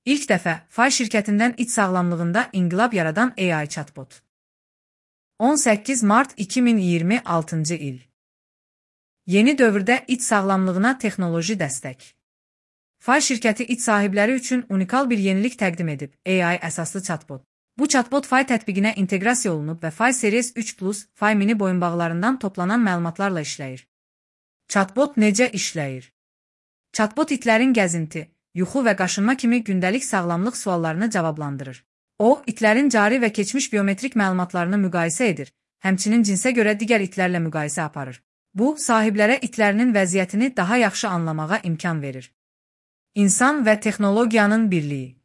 İlk dəfə Fay şirkətindən it sağlamlığında inqilab yaradan AI chatbot. 18 Mart 2026 il. Yeni dövrdə it sağlamlığına texnoloji dəstək. Fay şirkəti it sahibləri üçün unikal bir yenilik təqdim edib, AI əsaslı chatbot. Bu chatbot Fay tətbiqinə inteqrasiya olunub və Fay Series 3 Plus, Fay mini boyunbağlarından toplanan məlumatlarla işləyir. Chatbot necə işləyir? Chatbot itlərin gəzinti, yuxu və qaşınma kimi gündəlik sağlamlıq suallarını cavablandırır. O, itlərin cari və keçmiş biometrik məlumatlarını müqayisə edir, həmçinin cinsə görə digər itlərlə müqayisə aparır. Bu, sahiblərə itlərinin vəziyyətini daha yaxşı anlamağa imkan verir. İnsan və texnologiyanın birliyi.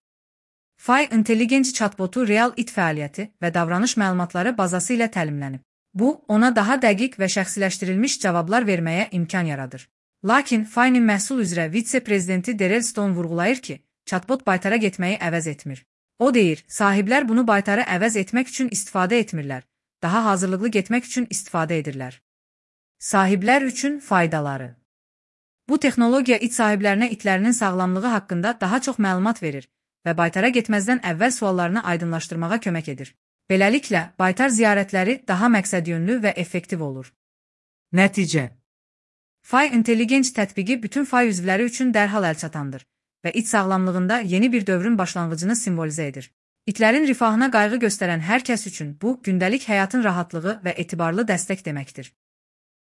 Fay intelligent chatbotu real it fəaliyyəti və davranış məlumatları bazası ilə təlimlənib. Bu, ona daha dəqiq və şəxsiləşdirilmiş cavablar verməyə imkan yaradır. Lakin Fay'nin məhsul üzrə vitse-prezidenti Darrell Stone vurğulayır ki, chatbot baytara getməyi əvəz etmir. O deyir, sahiblər bunu baytarı əvəz etmək üçün istifadə etmirlər, daha hazırlıqlı getmək üçün istifadə edirlər. Sahiblər üçün faydaları. Bu texnologiya it sahiblərinə itlərinin sağlamlığı haqqında daha çox məlumat verir və baytara getməzdən əvvəl suallarını aydınlaşdırmağa kömək edir. Beləliklə, baytar ziyarətləri daha məqsədyönlü və effektiv olur. Nəticə. Fay intelligent tətbiqi bütün Fay üzvləri üçün dərhal əlçatandır və it sağlamlığında yeni bir dövrün başlanğıcını simvolizə edir. İtlərin rifahına qayğı göstərən hər kəs üçün bu, gündəlik həyatın rahatlığı və etibarlı dəstək deməkdir.